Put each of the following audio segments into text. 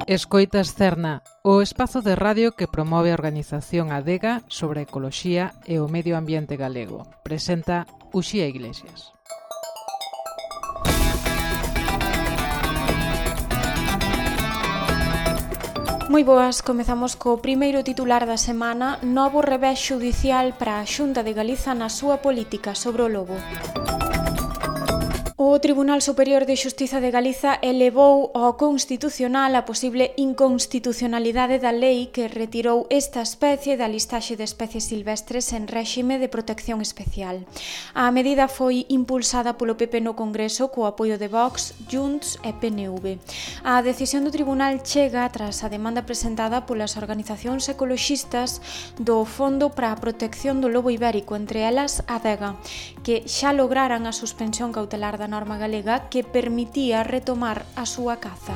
Escoitas Cerna, o espazo de radio que promove a organización Adega sobre a ecoloxía e o medio ambiente galego. Presenta Uxía Iglesias. Moi boas, comezamos co primeiro titular da semana, novo revés xudicial para a Xunta de Galiza na súa política sobre o lobo. O Tribunal Superior de Xustiza de Galiza elevou ao Constitucional a posible inconstitucionalidade da lei que retirou esta especie da listaxe de especies silvestres en réxime de protección especial. A medida foi impulsada polo PP no Congreso co apoio de Vox, Junts e PNV. A decisión do Tribunal chega tras a demanda presentada polas organizacións ecoloxistas do Fondo para a Protección do Lobo Ibérico, entre elas Adega, que xa lograran a suspensión cautelar da norma galega que permitía retomar a súa caza.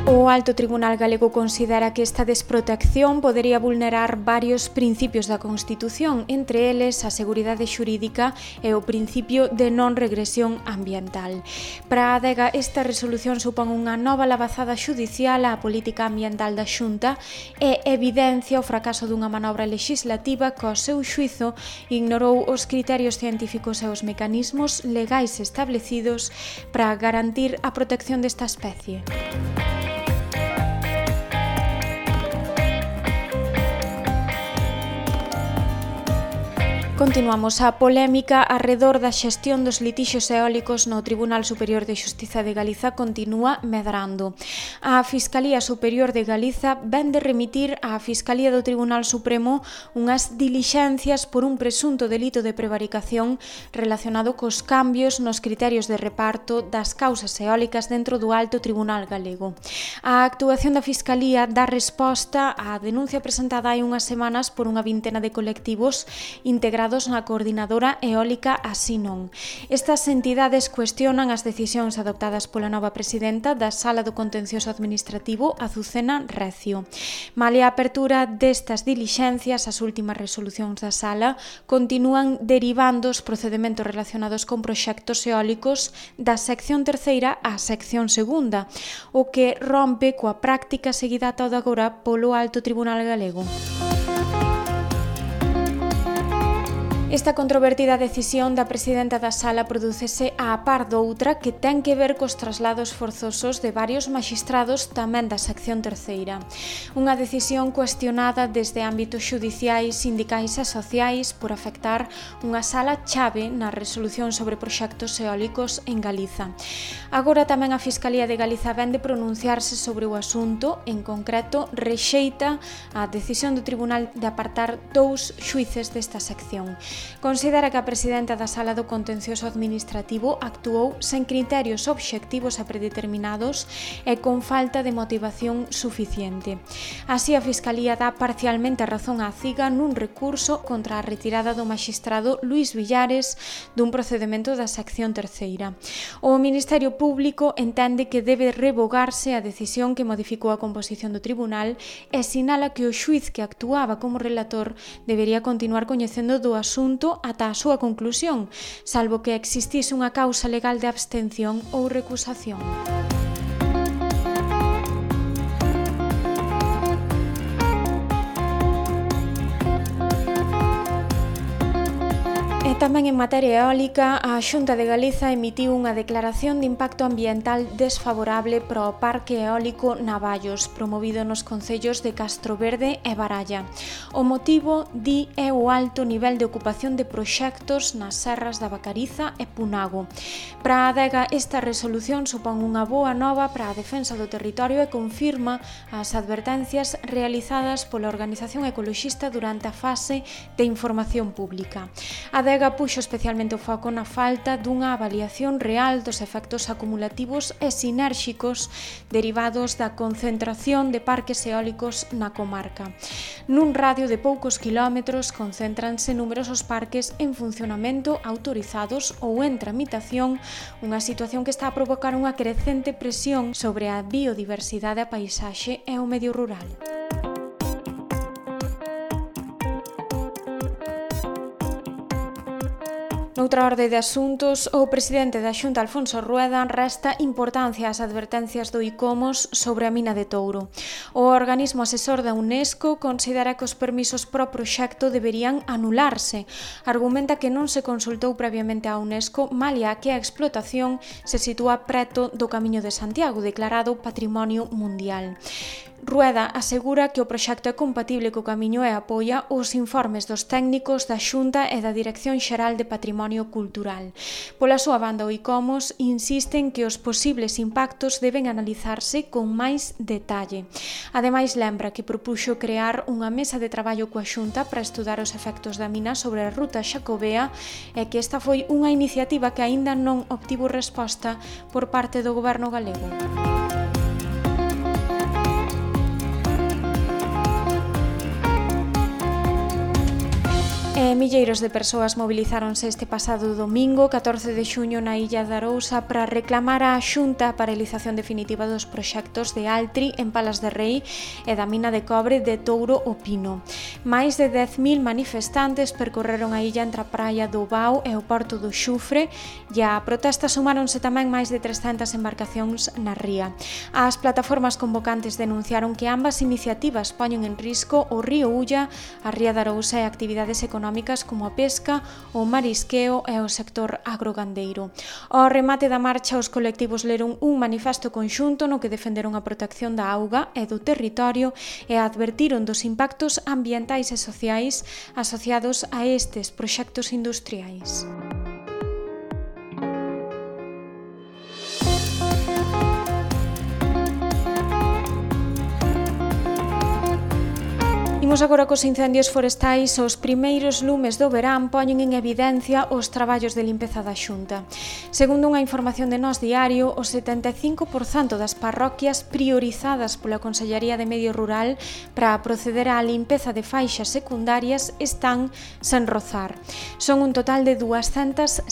O Alto Tribunal Galego considera que esta desprotección podería vulnerar varios principios da Constitución, entre eles a seguridade xurídica e o principio de non regresión ambiental. Para a Adega, esta resolución supón unha nova labazada xudicial á política ambiental da Xunta e evidencia o fracaso dunha manobra legislativa que, ao seu xuizo, ignorou os criterios científicos e os mecanismos legais establecidos para garantir a protección desta especie. Continuamos a polémica arredor da xestión dos litixios eólicos no Tribunal Superior de Xustiza de Galiza continúa medrando. A Fiscalía Superior de Galiza ven de remitir á Fiscalía do Tribunal Supremo unhas dilixencias por un presunto delito de prevaricación relacionado cos cambios nos criterios de reparto das causas eólicas dentro do Alto Tribunal Galego. A actuación da Fiscalía dá resposta á denuncia presentada hai unhas semanas por unha vintena de colectivos integrados na Coordinadora Eólica Así Non. Estas entidades cuestionan as decisións adoptadas pola nova presidenta da Sala do Contencioso Administrativo, Azucena Recio. Malia a apertura destas dilixencias, as últimas resolucións da Sala continúan derivando os procedementos relacionados con proxectos eólicos da sección terceira á sección segunda, o que rompe coa práctica seguida ata agora polo Alto Tribunal Galego. Esta controvertida decisión da presidenta da Sala prodúcese á par doutra que ten que ver cos traslados forzosos de varios maxistrados tamén da sección terceira. Unha decisión cuestionada desde ámbitos xudiciais, sindicais e sociais por afectar unha sala chave na resolución sobre proxectos eólicos en Galiza. Agora tamén a Fiscalía de Galiza ven de pronunciarse sobre o asunto, en concreto rexeita a decisión do Tribunal de apartar 2 xuíces desta sección. Considera que a presidenta da Sala do Contencioso Administrativo actuou sen criterios obxectivos e predeterminados e con falta de motivación suficiente. Así, a Fiscalía dá parcialmente a razón á CIGA nun recurso contra a retirada do maxistrado Luís Villares dun procedemento da sección terceira. O Ministerio Público entende que debe revogarse a decisión que modificou a composición do tribunal e sinala que o xuíz que actuaba como relator debería continuar coñecendo do asunto ata a súa conclusión, salvo que existise unha causa legal de abstención ou recusación. Tamén en materia eólica, a Xunta de Galiza emitiu unha declaración de impacto ambiental desfavorable para o Parque Eólico Navallos, promovido nos concellos de Castroverde e Baralla. O motivo, di, é o alto nivel de ocupación de proxectos nas serras da Vacariza e Punago. Para a Adega, esta resolución supón unha boa nova para a defensa do territorio e confirma as advertencias realizadas pola organización ecoloxista durante a fase de información pública. A Adega puxo especialmente o foco na falta dunha avaliación real dos efectos acumulativos e sinérxicos derivados da concentración de parques eólicos na comarca. Nun radio de poucos quilómetros concéntranse numerosos parques en funcionamento, autorizados ou en tramitación, unha situación que está a provocar unha crecente presión sobre a biodiversidade, a paisaxe e o medio rural. No Noutra orde de asuntos, o presidente da Xunta, Alfonso Rueda, resta importancia ás advertencias do ICOMOS sobre a mina de Touro. O organismo asesor da UNESCO considera que os permisos pro proxecto deberían anularse. Argumenta que non se consultou previamente a UNESCO, malia que a explotación se sitúa preto do Camiño de Santiago, declarado Patrimonio Mundial. Rueda asegura que o proxecto é compatible co camiño e apoia os informes dos técnicos da Xunta e da Dirección Xeral de Patrimonio Cultural. Pola súa banda, o ICOMOS insiste en que os posibles impactos deben analizarse con máis detalle. Ademais, lembra que propuxo crear unha mesa de traballo coa Xunta para estudar os efectos da mina sobre a ruta xacobea e que esta foi unha iniciativa que aínda non obtivo resposta por parte do goberno galego. Milleiros de persoas mobilizáronse este pasado domingo, 14 de xuño, na illa de Arousa para reclamar á Xunta a paralización definitiva dos proxectos de Altri en Palas de Rei e da mina de cobre de Touro o Pino. Máis de 10.000 manifestantes percorreron a illa entre a praia do Bao e o porto do Xufre e a protesta sumáronse tamén máis de 300 embarcacións na ría. As plataformas convocantes denunciaron que ambas iniciativas poñen en risco o río Ulla, a ría de Arousa e actividades económicas como a pesca, o marisqueo e o sector agrogandeiro. Ao remate da marcha, os colectivos leron un manifesto conxunto no que defenderon a protección da auga e do territorio e advertiron dos impactos ambientais e sociais asociados a estes proxectos industriais. Imos agora cos incendios forestais. Os primeiros lumes do verán poñen en evidencia os traballos de limpeza da Xunta. Segundo unha información de Nós Diario, o 75% das parroquias priorizadas pola Consellería de Medio Rural para proceder á limpeza de faixas secundarias están sen rozar. Son un total de 206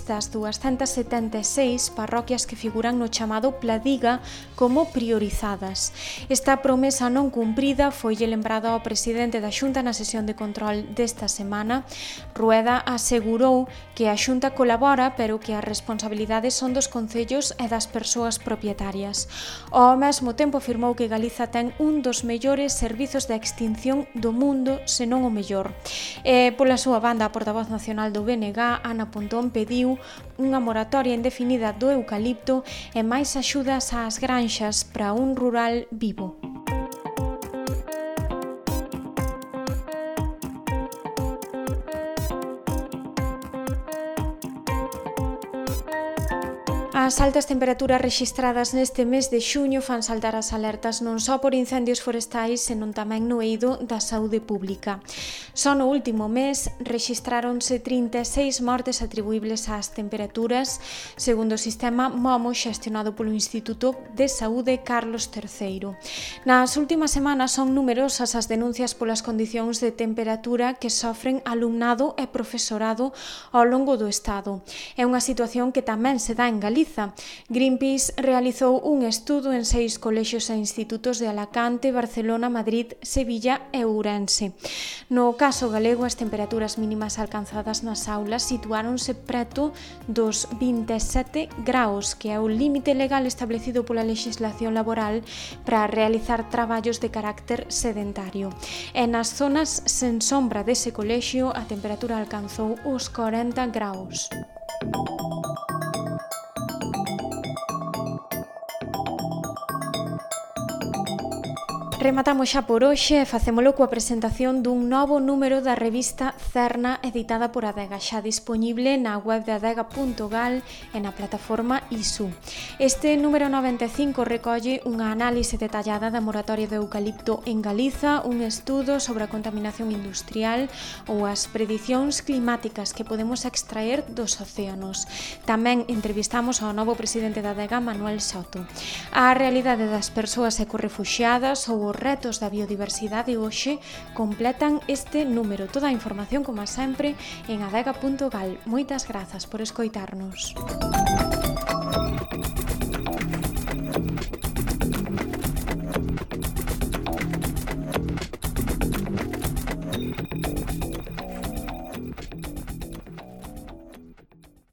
das 276 parroquias que figuran no chamado Pladiga como priorizadas. Esta promesa non cumprida foille lembrada ao presidente da Xunta na sesión de control desta semana. Rueda asegurou que a Xunta colabora, pero que as responsabilidades son dos concellos e das persoas propietarias. Ao mesmo tempo afirmou que Galiza ten un dos mellores servizos de extinción do mundo, senón o mellor. Pola súa banda, a portavoz nacional do BNG, Ana Pontón, pediu unha moratoria indefinida do eucalipto e máis axudas ás granxas para un rural vivo. As altas temperaturas rexistradas neste mes de xuño fan saltar as alertas non só por incendios forestais, senón tamén no eido da saúde pública. Só no último mes rexistráronse 36 mortes atribuíbles ás temperaturas, segundo o sistema MOMO xestionado polo Instituto de Saúde Carlos III. Nas últimas semanas son numerosas as denuncias polas condicións de temperatura que sofren alumnado e profesorado ao longo do Estado. É unha situación que tamén se dá en Galiza. Greenpeace realizou un estudo en 6 colexios e institutos de Alacante, Barcelona, Madrid, Sevilla e Ourense. No caso galego, as temperaturas mínimas alcanzadas nas aulas situáronse preto dos 27 graus, que é o límite legal establecido pola legislación laboral para realizar traballos de carácter sedentario. E nas zonas sen sombra dese colexio, a temperatura alcanzou os 40 graus. Rematamos xa por hoxe e facémolo coa presentación dun novo número da revista Cerna editada por Adega, xa disponible na web de adega.gal e na plataforma ISU. Este número 95 recolle unha análise detallada da moratoria do eucalipto en Galiza, un estudo sobre a contaminación industrial ou as predicións climáticas que podemos extraer dos océanos. Tamén entrevistamos ao novo presidente da Adega, Manuel Soto. A realidade das persoas ecorrefuxiadas ou os retos da biodiversidade hoxe completan este número. Toda a información, como sempre, en adega.gal. Moitas grazas por escoitarnos.